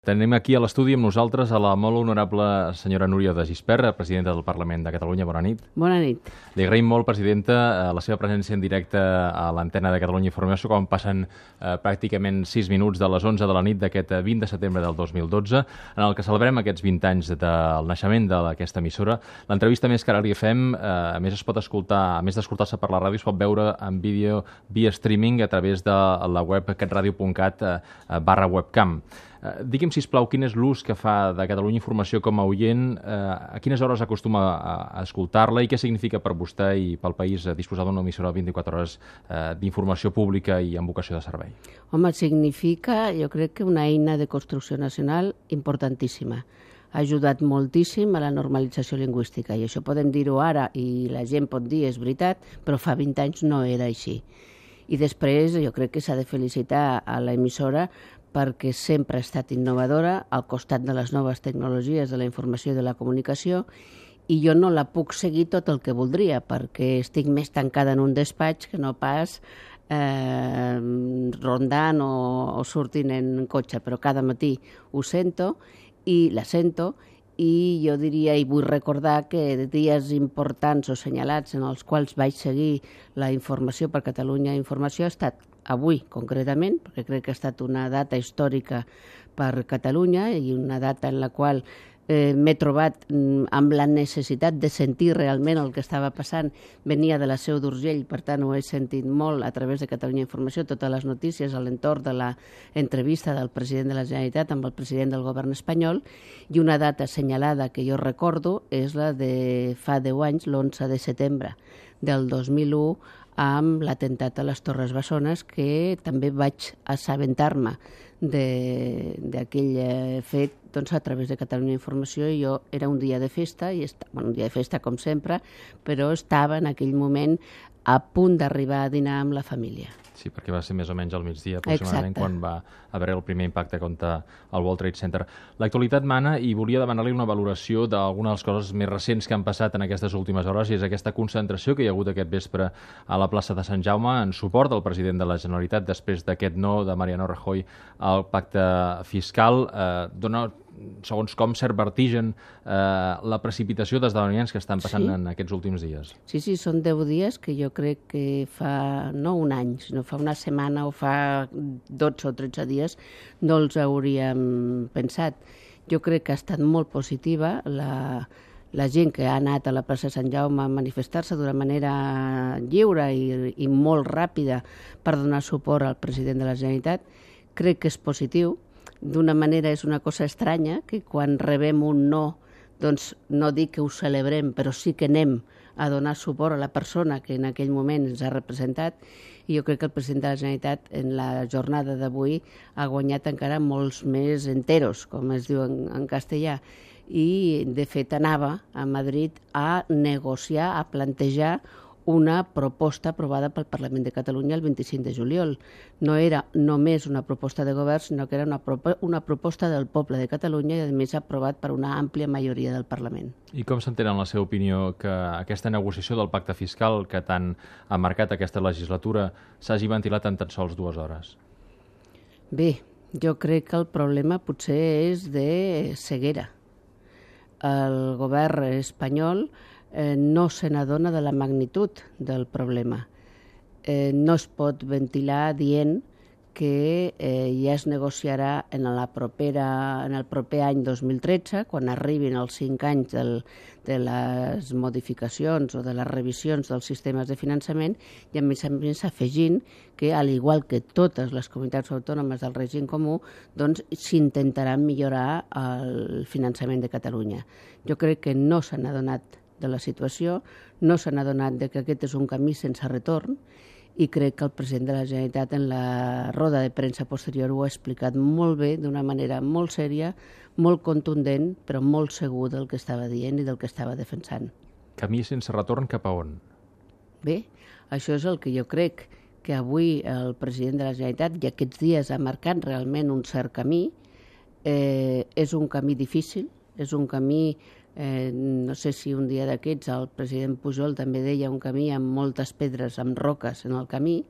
Tenim aquí a l'estudi amb nosaltres a la molt honorable senyora Núria de Gispert, presidenta del Parlament de Catalunya. Bona nit. Bona nit. Li agraïm molt, presidenta, la seva presència en directe a l'antena de Catalunya Informació, quan passen pràcticament 6 minuts de les 11 de la nit d'aquest 20 de setembre del 2012, en el que celebrem aquests 20 anys del naixement d'aquesta emissora. L'entrevista més que ara li fem, a més es pot escoltar, a més d'escoltar-se per la ràdio, es pot veure en vídeo via streaming a través de la web catradio.cat/webcam. Digui'm, sisplau, quin és l'ús que fa de Catalunya Informació com a oient, a quines hores acostuma a escoltar-la i què significa per vostè i pel país disposar d'una emissora de 24 hores d'informació pública i amb vocació de servei? Home, significa, jo crec que una eina de construcció nacional importantíssima. Ha ajudat moltíssim a la normalització lingüística i això podem dir-ho ara i la gent pot dir és veritat, però fa 20 anys no era així. I després jo crec que s'ha de felicitar a l'emissora perquè sempre ha estat innovadora al costat de les noves tecnologies de la informació i de la comunicació, i jo no la puc seguir tot el que voldria perquè estic més tancada en un despatx que no pas rondant o sortint en cotxe, però cada matí ho sento i la sento, i jo diria i vull recordar que dies importants o senyalats en els quals vaig seguir la informació per Catalunya Informació ha estat avui, concretament, perquè crec que ha estat una data històrica per Catalunya i una data en la qual m'he trobat amb la necessitat de sentir realment el que estava passant. Venia de la Seu d'Urgell, per tant ho he sentit molt a través de Catalunya Informació, totes les notícies a l'entorn de l'entrevista del president de la Generalitat amb el president del govern espanyol, i una data assenyalada que jo recordo és la de fa 10 anys, l'11 de setembre del 2001, amb l'atemptat a les Torres Bessones, que també vaig assabentar-me d'aquell fet a través de Catalunya Informació, i jo era un dia de festa, un dia de festa com sempre, però estava en aquell moment a punt d'arribar a dinar amb la família. Sí, perquè va ser més o menys al migdia, aproximadament, quan va haver el primer impacte contra el World Trade Center. L'actualitat mana i volia demanar-li una valoració d'alguna de les coses més recents que han passat en aquestes últimes hores, i és aquesta concentració que hi ha hagut aquest vespre a la plaça de Sant Jaume en suport del president de la Generalitat després d'aquest no de Mariano Rajoy al pacte fiscal. Dona, segons com, cert vertigen la precipitació d'esdeveniments que estan passant en aquests últims dies. Sí, són 10 dies que jo crec que fa, no un any, sinó fa una setmana o fa 12 o 13 dies no els hauríem pensat. Jo crec que ha estat molt positiva la gent que ha anat a la plaça de Sant Jaume a manifestar-se d'una manera lliure i molt ràpida per donar suport al president de la Generalitat. Crec que és positiu. D'una manera és una cosa estranya que quan rebem un no, doncs no dic que ho celebrem, però sí que anem a donar suport a la persona que en aquell moment ens ha representat, i jo crec que el president de la Generalitat en la jornada d'avui ha guanyat encara molts més enteros, com es diu en castellà, i de fet anava a Madrid a negociar, a plantejar una proposta aprovada pel Parlament de Catalunya el 25 de juliol. No era només una proposta de govern, sinó que era una proposta del poble de Catalunya i, a més, aprovat per una àmplia majoria del Parlament. I com s'entén, en la seva opinió, que aquesta negociació del pacte fiscal que tant ha marcat aquesta legislatura s'hagi ventilat en tan sols 2 hores? Bé, jo crec que el problema potser és de ceguera. El govern espanyol no se n'adona de la magnitud del problema. No es pot ventilar dient que ja es negociarà en el proper any 2013, quan arribin els 5 anys de les modificacions o de les revisions dels sistemes de finançament, i a més afegint que, al igual que totes les comunitats autònomes del règim comú, doncs s'intentarà millorar el finançament de Catalunya. Jo crec que no s'han adonat de la situació, no s'han adonat que aquest és un camí sense retorn, i crec que el president de la Generalitat en la roda de premsa posterior ho ha explicat molt bé, d'una manera molt sèria, molt contundent, però molt segur del que estava dient i del que estava defensant. Camí sense retorn cap a on? Bé, això és el que jo crec que avui el president de la Generalitat i aquests dies ha marcat realment un cert camí. És un camí difícil, és un camí no sé si un dia d'aquests el president Pujol també deia un camí amb moltes pedres, amb roques en el camí,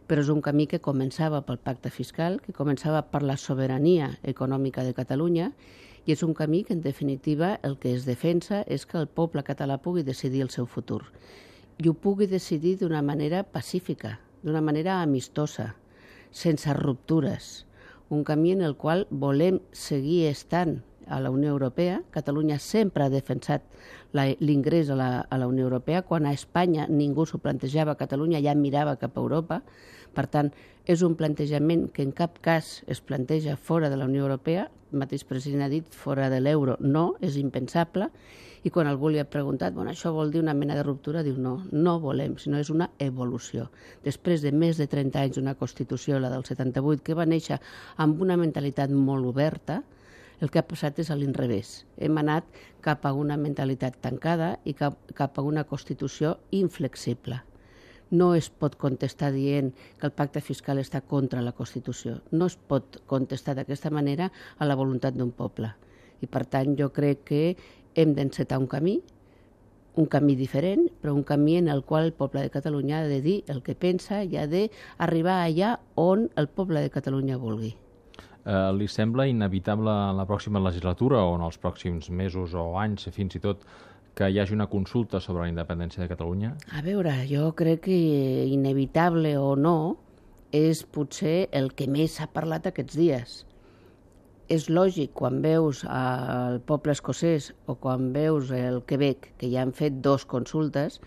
però és un camí que començava pel pacte fiscal, que començava per la sobirania econòmica de Catalunya, i és un camí que, en definitiva, el que es defensa és que el poble català pugui decidir el seu futur. I ho pugui decidir d'una manera pacífica, d'una manera amistosa, sense ruptures. Un camí en el qual volem seguir estant a la Unió Europea. Catalunya sempre ha defensat l'ingrés a la Unió Europea. Quan a Espanya ningú s'ho plantejava, Catalunya ja mirava cap a Europa. Per tant, és un plantejament que en cap cas es planteja fora de la Unió Europea. El mateix president ha dit fora de l'euro no, és impensable. I quan algú li ha preguntat, això vol dir una mena de ruptura, diu no volem, sinó és una evolució. Després de més de 30 anys d'una Constitució, la del 78, que va néixer amb una mentalitat molt oberta, el que ha passat és a l'inrevés. Hem anat cap a una mentalitat tancada i cap a una Constitució inflexible. No es pot contestar dient que el pacte fiscal està contra la Constitució. No es pot contestar d'aquesta manera a la voluntat d'un poble. I, per tant, jo crec que hem d'encetar un camí diferent, però un camí en el qual el poble de Catalunya ha de dir el que pensa i ha d'arribar allà on el poble de Catalunya vulgui. Li sembla inevitable en la pròxima legislatura o en els pròxims mesos o anys, fins i tot, que hi hagi una consulta sobre la independència de Catalunya? A veure, jo crec que inevitable o no és potser el que més s'ha parlat aquests dies. És lògic, quan veus el poble escocès o quan veus el Quebec, que ja han fet 2 consultes,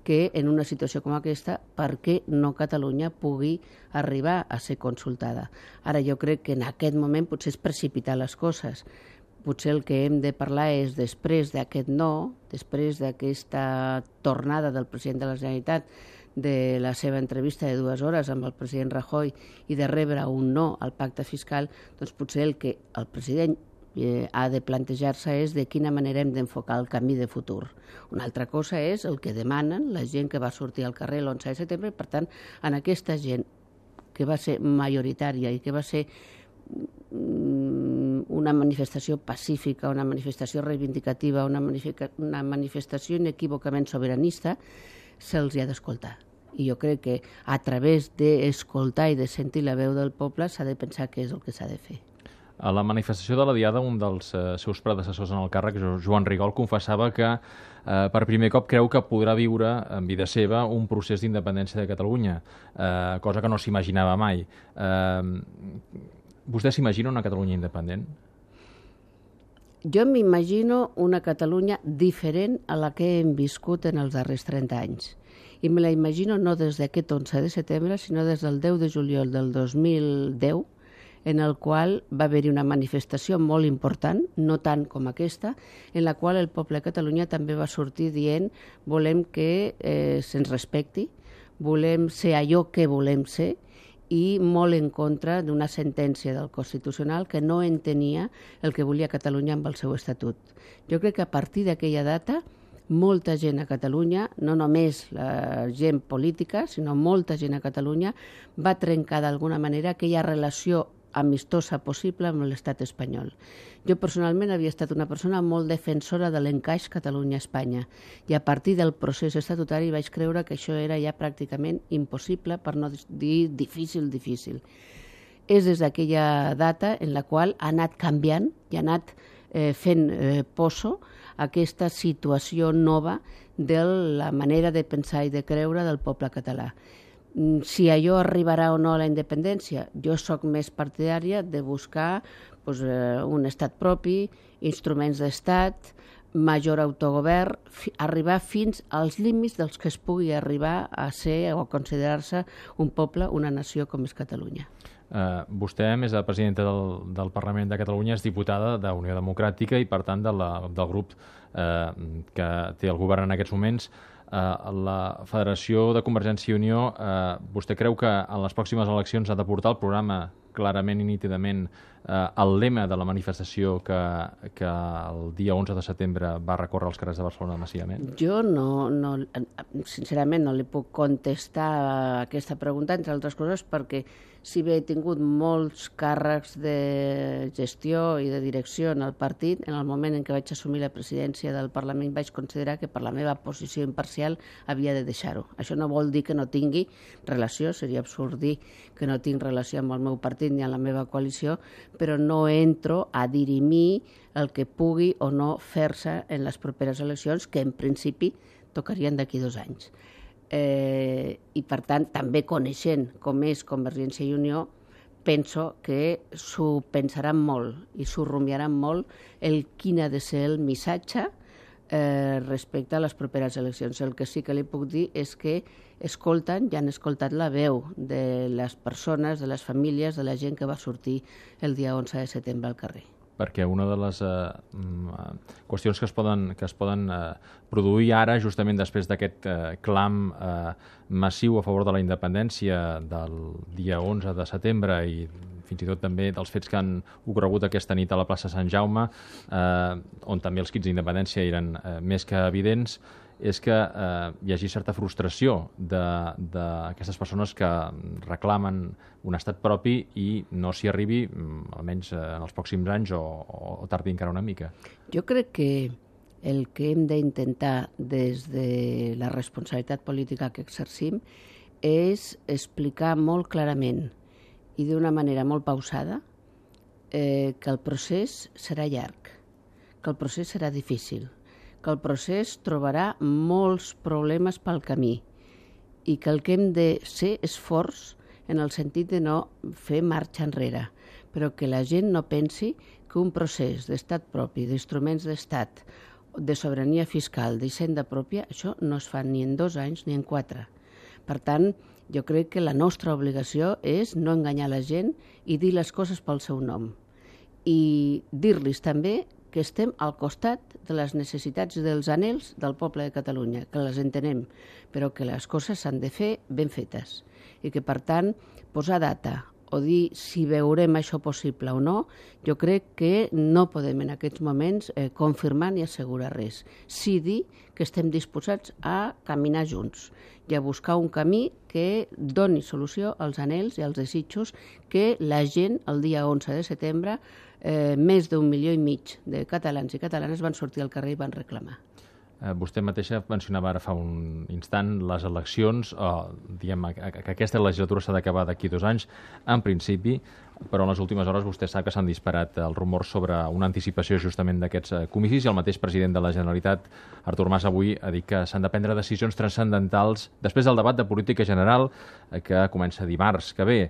que en una situació com aquesta, per què no Catalunya pugui arribar a ser consultada? Ara, jo crec que en aquest moment potser és precipitar les coses. Potser el que hem de parlar és després d'aquest no, després d'aquesta tornada del president de la Generalitat, de la seva entrevista de 2 hores amb el president Rajoy i de rebre un no al pacte fiscal, doncs potser el que el president ha de plantejar-se és de quina manera hem d'enfocar el camí de futur. Una altra cosa és el que demanen la gent que va sortir al carrer l'11 de setembre. Per tant, en aquesta gent que va ser majoritària i que va ser una manifestació pacífica, una manifestació reivindicativa, una manifestació inequívocament sobiranista, se'ls ha d'escoltar. I jo crec que a través d'escoltar i de sentir la veu del poble s'ha de pensar què és el que s'ha de fer. A la manifestació de la Diada, un dels seus predecessors en el càrrec, Joan Rigol, confessava que per primer cop creu que podrà viure en vida seva un procés d'independència de Catalunya, cosa que no s'imaginava mai. Vostè s'imagina una Catalunya independent? Jo m'imagino una Catalunya diferent a la que hem viscut en els darrers 30 anys. I me la imagino no des d'aquest 11 de setembre, sinó des del 10 de juliol del 2010, en el qual va haver-hi una manifestació molt important, no tant com aquesta, en la qual el poble de Catalunya també va sortir dient volem que se'ns respecti, volem ser allò que volem ser, i molt en contra d'una sentència del Constitucional que no entenia el que volia Catalunya amb el seu estatut. Jo crec que a partir d'aquella data molta gent a Catalunya, no només la gent política, sinó molta gent a Catalunya va trencar d'alguna manera aquella relació amistosa possible amb l'estat espanyol. Jo personalment havia estat una persona molt defensora de l'encaix Catalunya-Espanya i a partir del procés estatutari vaig creure que això era ja pràcticament impossible, per no dir difícil. És des d'aquella data en la qual ha anat canviant i ha anat fent poso aquesta situació nova de la manera de pensar i de creure del poble català. Si allò arribarà o no a la independència, jo sóc més partidària de buscar un estat propi, instruments d'estat, major autogovern, arribar fins als límits dels que es pugui arribar a ser o a considerar-se un poble, una nació com és Catalunya. Vostè, a més de presidenta del Parlament de Catalunya, és diputada d'Unió Democràtica i, per tant, del grup que té el govern en aquests moments. La Federació de Convergència i Unió, vostè creu que en les pròximes eleccions ha de portar el programa clarament i nítidament el lema de la manifestació que el dia 11 de setembre va recórrer als carrers de Barcelona massivament? Jo sincerament no li puc contestar a aquesta pregunta, entre altres coses, perquè si bé he tingut molts càrrecs de gestió i de direcció en el partit, en el moment en què vaig assumir la presidència del Parlament vaig considerar que per la meva posició imparcial havia de deixar-ho. Això no vol dir que no tingui relació, seria absurd dir que no tinc relació amb el meu partit ni amb la meva coalició, però no entro a dirimir el que pugui o no fer-se en les properes eleccions, que en principi tocarien d'aquí 2 anys. I per tant, també coneixent com és Convergència i Unió, penso que s'ho pensaran molt i s'ho rumiaran molt quin ha de ser el missatge respecte a les properes eleccions. El que sí que li puc dir és que escolten i han escoltat la veu de les persones, de les famílies, de la gent que va sortir el dia 11 de setembre al carrer. Perquè una de les qüestions que es poden produir ara, justament després d'aquest clam massiu a favor de la independència del dia 11 de setembre i fins i tot també dels fets que han ocorregut aquesta nit a la plaça Sant Jaume, on també els crits d'independència eren més que evidents, és que hi hagi certa frustració d'aquestes persones que reclamen un estat propi i no s'hi arribi, almenys en els pròxims anys, o tardi encara una mica. Jo crec que el que hem d'intentar des de la responsabilitat política que exercim és explicar molt clarament i d'una manera molt pausada que el procés serà llarg, que el procés serà difícil, que el procés trobarà molts problemes pel camí i que el que hem de ser és forts en el sentit de no fer marxa enrere, però que la gent no pensi que un procés d'estat propi, d'instruments d'estat, de sobirania fiscal, d'hisenda pròpia, això no es fa ni en 2 anys ni en 4. Per tant, jo crec que la nostra obligació és no enganyar la gent i dir les coses pel seu nom. I dir-los també que estem al costat de les necessitats i dels anhels del poble de Catalunya, que les entenem, però que les coses s'han de fer ben fetes i que, per tant, posar data o dir si veurem això possible o no, jo crec que no podem en aquests moments confirmar ni assegurar res. Sí dir que estem disposats a caminar junts i a buscar un camí que doni solució als anhels i als desitjos que la gent el dia 11 de setembre més d'1,5 milió de catalans i catalanes van sortir al carrer i van reclamar. Vostè mateixa mencionava ara fa un instant les eleccions, diguem que aquesta legislatura s'ha d'acabar d'aquí 2 anys, en principi, però en les últimes hores vostè sap que s'han disparat els rumors sobre una anticipació justament d'aquests comicis i el mateix president de la Generalitat, Artur Mas, avui ha dit que s'han de prendre decisions transcendentals després del debat de política general que comença dimarts que ve.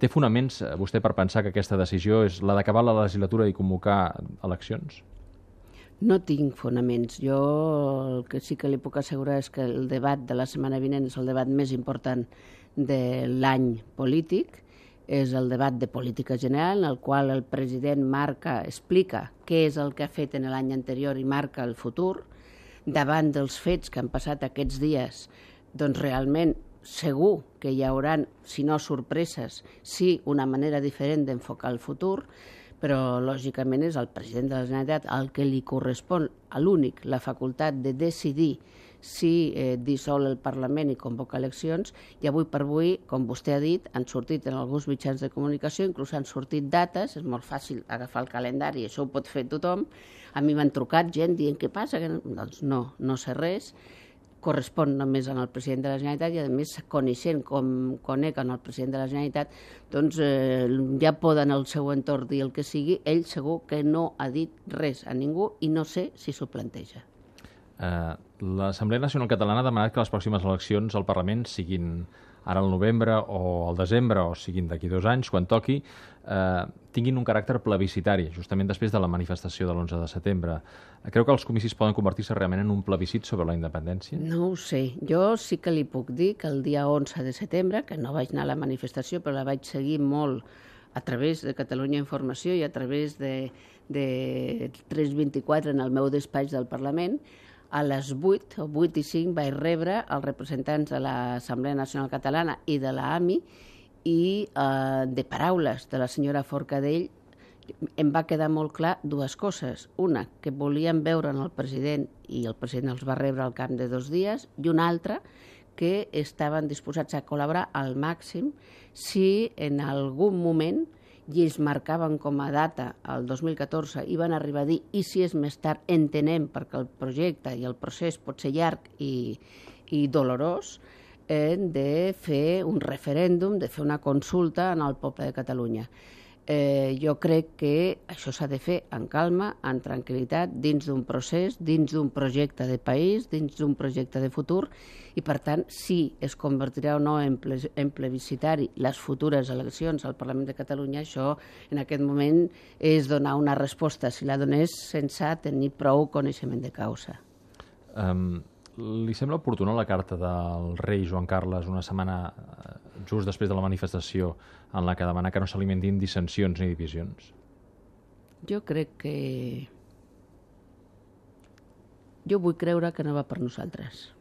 Té fonaments vostè per pensar que aquesta decisió és la d'acabar la legislatura i convocar eleccions? No tinc fonaments. Jo el que sí que li puc assegurar és que el debat de la setmana vinent és el debat més important de l'any polític, és el debat de política general, en el qual el president explica què és el que ha fet en l'any anterior i marca el futur. Davant dels fets que han passat aquests dies, doncs realment segur que hi haurà, si no sorpreses, sí una manera diferent d'enfocar el futur, però lògicament és el president de la Generalitat el que li correspon a l'únic la facultat de decidir si dissol el Parlament i convoca eleccions, i avui per avui, com vostè ha dit, han sortit en alguns mitjans de comunicació, inclús han sortit dates, és molt fàcil agafar el calendari, això ho pot fer tothom. A mi m'han trucat gent dient què passa, doncs no sé res, correspon només al president de la Generalitat i, a més, coneixent com conec el president de la Generalitat, doncs ja poden al seu entorn dir el que sigui, ell segur que no ha dit res a ningú i no sé si s'ho planteja. L'Assemblea Nacional Catalana ha demanat que les pròximes eleccions al Parlament siguin ara al novembre o al desembre, o siguin d'aquí 2 anys, quan toqui, tinguin un caràcter plebiscitari, justament després de la manifestació de l'11 de setembre. Creu que els comicis poden convertir-se realment en un plebiscit sobre la independència? No ho sé. Jo sí que li puc dir que el dia 11 de setembre, que no vaig anar a la manifestació, però la vaig seguir molt a través de Catalunya Informació i a través de 324 en el meu despatx del Parlament, a les 8 o 8 i 5 vaig rebre els representants de l'Assemblea Nacional Catalana i de l'AMI i de paraules de la senyora Forcadell em va quedar molt clar dues coses. Una, que volien veure el president i el president els va rebre al camp de 2 dies, i una altra, que estaven disposats a col·laborar al màxim si en algun moment, i ells marcaven com a data el 2014 i van arribar a dir i si és més tard entenem perquè el projecte i el procés pot ser llarg i dolorós, de fer un referèndum, de fer una consulta en el poble de Catalunya. Jo crec que això s'ha de fer en calma, en tranquil·litat, dins d'un procés, dins d'un projecte de país, dins d'un projecte de futur, i per tant, si es convertirà o no en plebiscitari les futures eleccions al Parlament de Catalunya, això en aquest moment és donar una resposta, si la donés sense tenir prou coneixement de causa. Li sembla oportuna la carta del rei Joan Carles una setmana just després de la manifestació en la que demana que no s'alimentin dissensions ni divisions? Jo crec que... Jo vull creure que no va per nosaltres.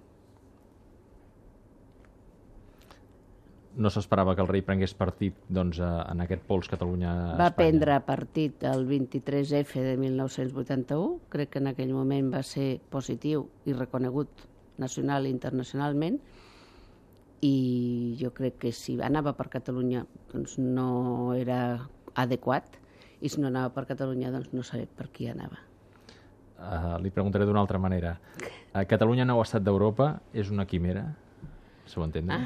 No s'esperava que el rei prengués partit doncs, en aquest pols Catalunya-Espanya? Va prendre partit el 23F de 1981. Crec que en aquell moment va ser positiu i reconegut nacional i internacionalment. I jo crec que si anava per Catalunya doncs no era adequat, i si no anava per Catalunya doncs no sabia per qui anava. Li preguntaré d'una altra manera. Catalunya nou estat d'Europa és una quimera? Se ho entendre?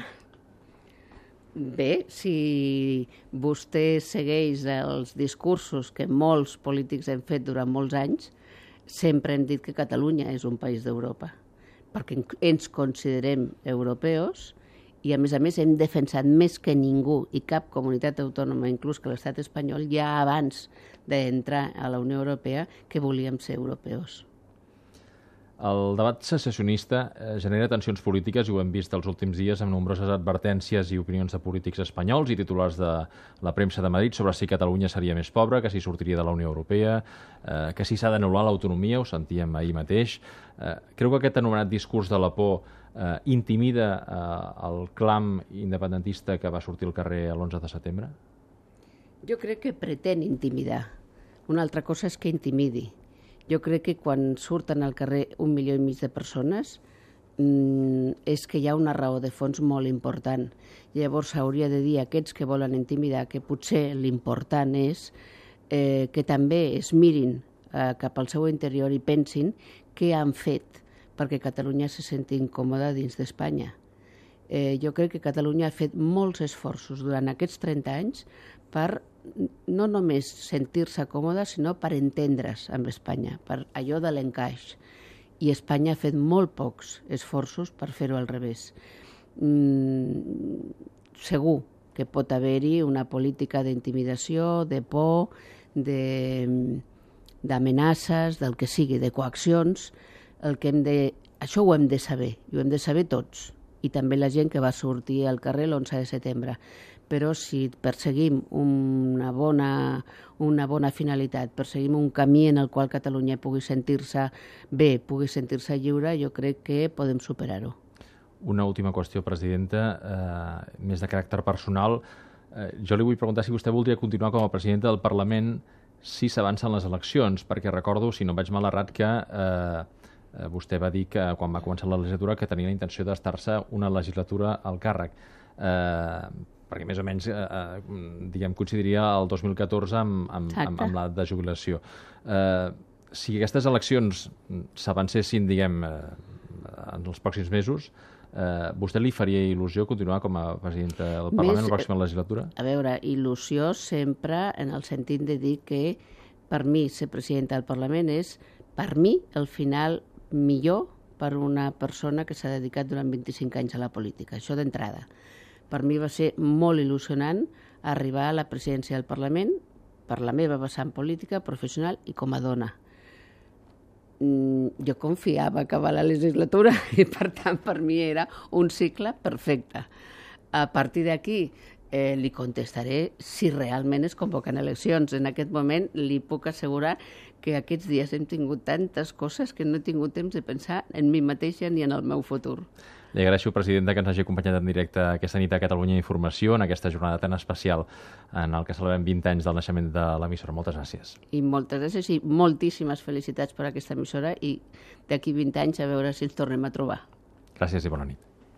Bé, si vostè segueix els discursos que molts polítics hem fet durant molts anys, sempre hem dit que Catalunya és un país d'Europa, perquè ens considerem europeus i, a més hem defensat més que ningú i cap comunitat autònoma, inclús que l'estat espanyol, ja abans d'entrar a la Unió Europea, que volíem ser europeus. El debat secessionista genera tensions polítiques i ho hem vist els últims dies amb nombroses advertències i opinions de polítics espanyols i titulars de la premsa de Madrid sobre si Catalunya seria més pobra, que si sortiria de la Unió Europea, que si s'ha d'anul·lar l'autonomia, ho sentíem ahir mateix. Creu que aquest anomenat discurs de la por intimida el clam independentista que va sortir al carrer l'11 de setembre? Jo crec que pretén intimidar. Una altra cosa és que intimidi. Jo crec que quan surten al carrer 1,5 milió de persones és que hi ha una raó de fons molt important. Llavors s'hauria de dir a aquests que volen intimidar que potser l'important és que també es mirin cap al seu interior i pensin què han fet perquè Catalunya se senti incòmoda dins d'Espanya. Jo crec que Catalunya ha fet molts esforços durant aquests 30 anys per no només sentir-se còmoda, sinó per entendre's amb Espanya, per allò de l'encaix. I Espanya ha fet molt pocs esforços per fer-ho al revés. Segur que pot haver-hi una política d'intimidació, de por, d'amenaces, del que sigui, de coaccions. Això ho hem de saber, i ho hem de saber tots, i també la gent que va sortir al carrer l'11 de setembre. Però si perseguim una bona finalitat, perseguim un camí en el qual Catalunya pugui sentir-se bé, pugui sentir-se lliure, jo crec que podem superar-ho. Una última qüestió, presidenta, més de caràcter personal. Jo li vull preguntar si vostè voldria continuar com a presidenta del Parlament si s'avancen les eleccions, perquè recordo, si no vaig mal errat, que vostè va dir que quan va començar la legislatura que tenia la intenció d'estar-se una legislatura al càrrec. Perquè més o menys coincidiria el 2014 amb l'edat de jubilació. Si aquestes eleccions s'avancessin en els pròxims mesos, vostè li faria il·lusió continuar com a presidenta del Parlament la pròxima legislatura? A veure, il·lusió sempre en el sentit de dir que per mi ser presidenta del Parlament és, per mi, el final millor per una persona que s'ha dedicat durant 25 anys a la política. Això d'entrada. Per mi va ser molt il·lusionant arribar a la presidència del Parlament per la meva vessant política, professional i com a dona. Jo confiava acabar la legislatura i, per tant, per mi era un cicle perfecte. A partir d'aquí li contestaré si realment es convoquen eleccions. En aquest moment li puc assegurar que aquests dies hem tingut tantes coses que no he tingut temps de pensar en mi mateixa ni en el meu futur. Li agraeixo, presidenta, que ens hagi acompanyat en directe aquesta nit a Catalunya Informació en aquesta jornada tan especial en el que celebrem 20 anys del naixement de l'emissora. Moltes gràcies. I moltes gràcies i moltíssimes felicitats per aquesta emissora i d'aquí 20 anys a veure si ens tornem a trobar. Gràcies i bona nit.